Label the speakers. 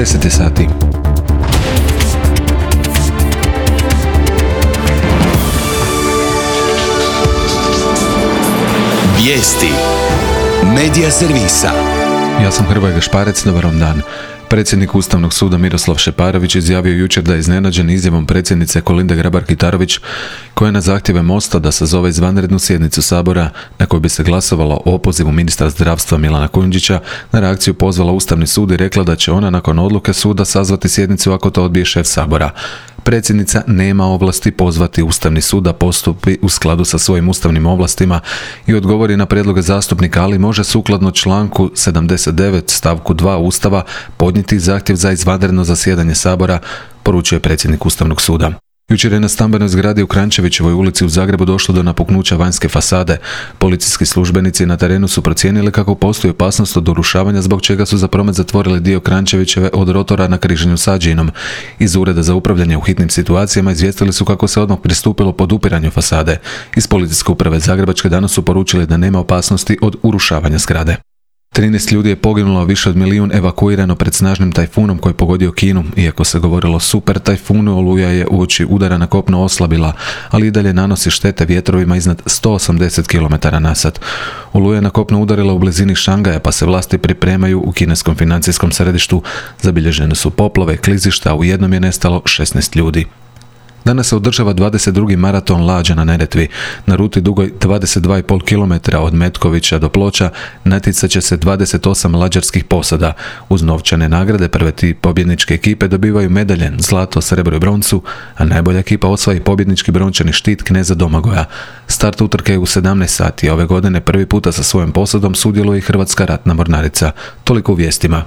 Speaker 1: 10 sati.
Speaker 2: Vijesti Medija servisa.
Speaker 1: Ja sam Hrvoje Gašparec, dobar vam dan. Predsjednik Ustavnog suda Miroslav Šeparović izjavio jučer da je iznenađen izjavom predsjednice Kolinde Grabar-Kitarović, koja je na zahtjeve Mosta da sazove izvanrednu sjednicu Sabora na kojoj bi se glasovalo o opozivu ministra zdravstva Milana Kujundžića, na reakciju pozvala Ustavni sud i rekla da će ona nakon odluke suda sazvati sjednicu ako to odbije šef Sabora. Predsjednica nema ovlasti pozvati Ustavni sud da postupi u skladu sa svojim ustavnim ovlastima i odgovori na prijedloge zastupnika, ali može sukladno članku 79 stavku 2 Ustava podnijeti zahtjev za izvanredno zasjedanje Sabora, poručuje predsjednik Ustavnog suda. Jučer je na stambenoj zgradi u Kranjčevićevoj ulici u Zagrebu došlo do napuknuća vanjske fasade. Policijski službenici na terenu su procijenili kako postoji opasnost od urušavanja, zbog čega su za promet zatvorili dio Kranjčevićeve od rotora na križanju s Ađinom. Iz Ureda za upravljanje u hitnim situacijama izvijestili su kako se odmah pristupilo podupiranju fasade. Iz Policijske uprave Zagrebačke danas su poručili da nema opasnosti od urušavanja zgrade. 13 ljudi je poginulo, a više od 1 milijun evakuirano pred snažnim tajfunom koji je pogodio Kinu. Iako se govorilo o super tajfunu, oluja je uoči udara na kopno oslabila, ali i dalje nanosi štete vjetrovima iznad 180 km na sat. Oluja je na kopno udarila u blizini Šangaja, pa se vlasti pripremaju u kineskom financijskom središtu. Zabilježene su poplave, klizišta, a u jednom je nestalo 16 ljudi. Danas se održava 22. maraton lađa na Neretvi. Na ruti dugoj 22,5 km od Metkovića do Ploča natjecat će se 28 lađarskih posada. Uz novčane nagrade prve tri pobjedničke ekipe dobivaju medalje, zlato, srebro i broncu, a najbolja ekipa osvaja pobjednički brončani štit kneza Domagoja. Start utrke je u 17 sati, a ove godine prvi puta sa svojom posadom sudjeluje i Hrvatska ratna mornarica. Toliko u vijestima.